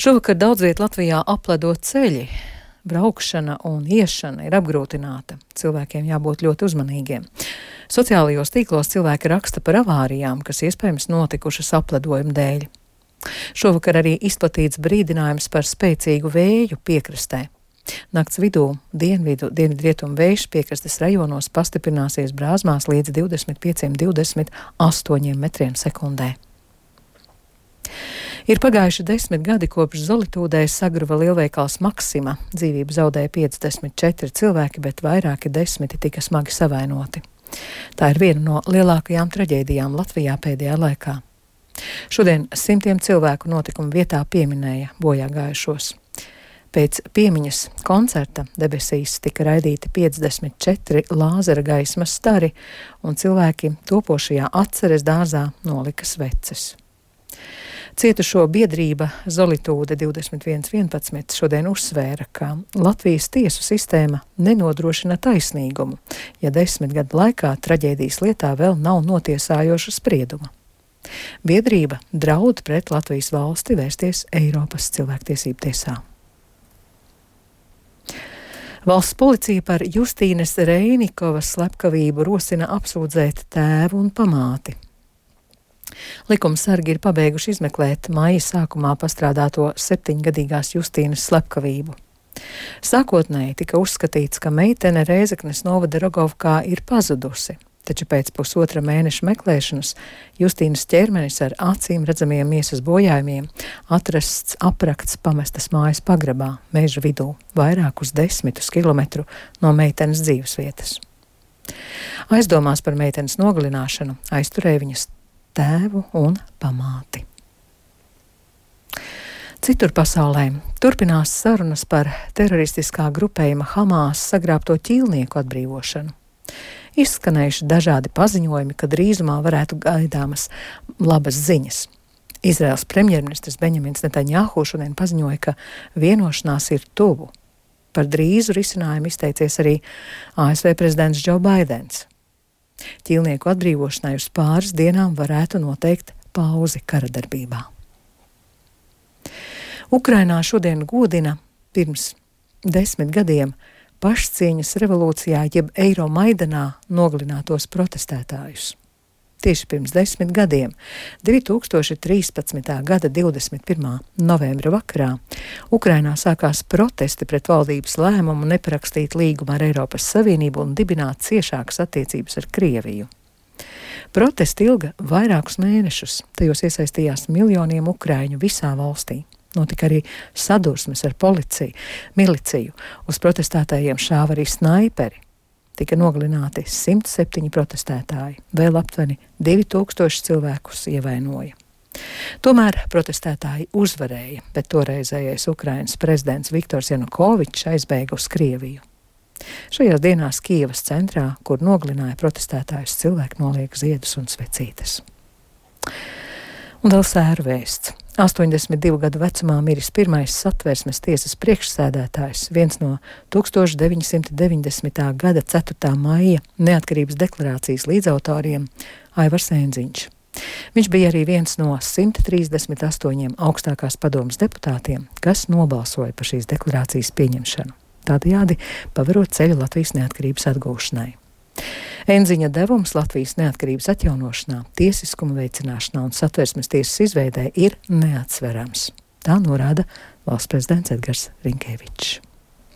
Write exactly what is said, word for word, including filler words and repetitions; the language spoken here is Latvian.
Šovakar daudz viet Latvijā apledo ceļi. Braukšana un iešana ir apgrūtināta. Cilvēkiem jābūt ļoti uzmanīgiem. Sociālajos tīklos cilvēki raksta par avārijām, kas iespējams notikušas apledojuma dēļ. Šovakar arī izplatīts brīdinājums par spēcīgu vēju piekrastē. Nakts vidū dienvidu dienvidrietumu vējš piekrastes rajonos pastiprināsies Brāzmās līdz divdesmit pieciem līdz divdesmit astoņiem metriem sekundē. Ir pagājuši desmit gadi kopš Zolitūdē sagruva lielveikals Maksima. Dzīvību zaudēja piecdesmit četri cilvēki, bet vairāki desmiti tika smagi savainoti. Tā ir viena no lielākajām traģēdijām Latvijā pēdējā laikā. Šodien simtiem cilvēku notikuma vietā pieminēja bojā gājušos. Pēc piemiņas koncerta debesīs tika raidīti piecdesmit četri lāzera gaismas stari, un cilvēki topošajā atceres dārzā nolika sveces. Cietušo biedrība Zolitūde divdesmit viens vienpadsmit šodien uzsvēra, ka Latvijas tiesu sistēma nenodrošina taisnīgumu, ja desmit gadu laikā traģēdijas lietā vēl nav notiesājoša sprieduma. Biedrība draud pret Latvijas valsti vērsties Eiropas cilvēktiesību tiesā. Valsts policija par Justīnes Reinikovas slepkavību rosina apsūdzēt tēvu un pamāti. Likumsargi ir pabeiguši izmeklēt maija sākumā pastrādāto septiņgadīgās Justīnes slepkavību. Sākotnēji tika uzskatīts, ka meitene Rēzeknes novada Rogovkā ir pazudusi, taču pēc pusotra mēneša meklēšanas Justīnes ķermenis ar acīm redzamiem miesas bojājumiem atrasts aprakts pamestas mājas pagrabā, meža vidū, vairākus desmitus kilometru no meitenes dzīvesvietas. Aizdomās par meitenes nogalināšanu aizturēja viņas tēvu un pamāti. Citur pasaulē turpinās sarunas par teroristiskā grupējuma Hamās sagrābto ķīlnieku atbrīvošanu. Izskanējuši dažādi paziņojumi, ka drīzumā varētu gaidāmas labas ziņas. Izraels premjerministrs Benjamins Netanjahu šodien paziņoja, ka vienošanās ir tuvu. Par drīzu risinājumu izteicies arī A S V prezidents Džo Baidens. Ķīlnieku atbrīvošanai uz pāris dienām varētu noteikt pauzi kara darbībā. Ukrainā šodien godina pirms desmit gadiem pašcieņas revolūcijā jeb Eiromaidanā nogalinātos protestētājus. Tieši pirms desmit gadiem, divi tūkstoši trīspadsmitā gada divdesmit pirmā novembra vakarā, Ukrainā sākās protesti pret valdības lēmumu neparakstīt līgumu ar Eiropas Savienību un dibināt ciešākas attiecības ar Krieviju. Protesti ilga vairākus mēnešus, tajos iesaistījās miljoniem ukraiņu visā valstī. Notika arī sadursmes ar policiju, miliciju, uz protestētājiem šāva arī snaiperi. Tika nogalināti simt septiņi protestētāji, vēl aptuveni divi tūkstoši cilvēkus ievainoja. Tomēr protestētāji uzvarēja, bet toreizējais Ukrainas prezidents Viktors Janukovičs aizbēga uz Krieviju. Šajās dienās Kijevas centrā, kur nogalināja protestētājus, cilvēki noliek ziedus un svecītes. Un vēl sēru vēsts. astoņdesmit divu gadu vecumā miris pirmais Satversmes tiesas priekšsēdētājs, viens no tūkstoš deviņsimt deviņdesmitā gada ceturtā maija neatkarības deklarācijas līdzautoriem Aivars Enziņš. Viņš bija arī viens no simt trīsdesmit astoņiem augstākās padomes deputātiem, kas nobalsoja par šīs deklarācijas pieņemšanu, tādējādi paverot ceļu Latvijas neatkarības atgūšanai. Enziņa devums Latvijas neatkarības atjaunošanā, tiesiskuma veicināšanā un Satversmes tiesas izveidē ir neatsverams. Tā norāda valsts prezidents Edgars Rinkevičs.